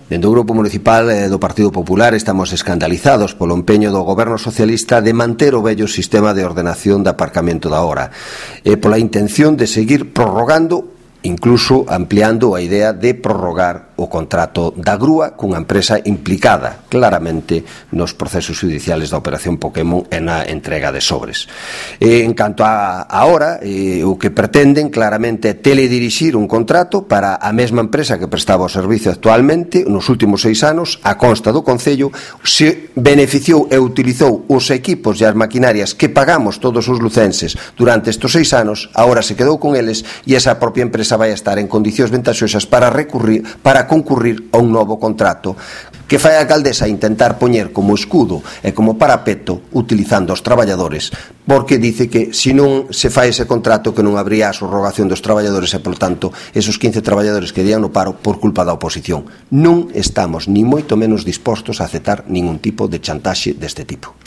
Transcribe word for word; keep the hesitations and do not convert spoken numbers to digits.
Dende o Grupo Municipal do Partido Popular estamos escandalizados polo empeño do Goberno Socialista de manter o vello sistema de ordenación de aparcamento da hora e pola intención de seguir prorrogando, incluso ampliando a idea de prorrogar o contrato da grúa cunha empresa implicada claramente nos procesos judiciales da Operación Pokémon e na entrega de sobres. E, en canto a ahora, eh, o que pretenden claramente é teledirixir un contrato para a mesma empresa que prestaba o servicio actualmente nos últimos seis anos, a consta do Concello, se beneficiou e utilizou os equipos e as maquinarias que pagamos todos os lucenses durante estes seis anos, agora se quedou con eles e esa propia empresa vai estar en condicións ventaxosas para recurrir, para concurrir a un novo contrato que fai a alcaldesa intentar poñer como escudo e como parapeto utilizando os traballadores, porque dice que se non se fai ese contrato que non habría a subrogación dos traballadores e, por tanto, esos quince traballadores que irían no paro por culpa da oposición. Non estamos ni moito menos dispostos a aceptar ningún tipo de chantaxe deste tipo.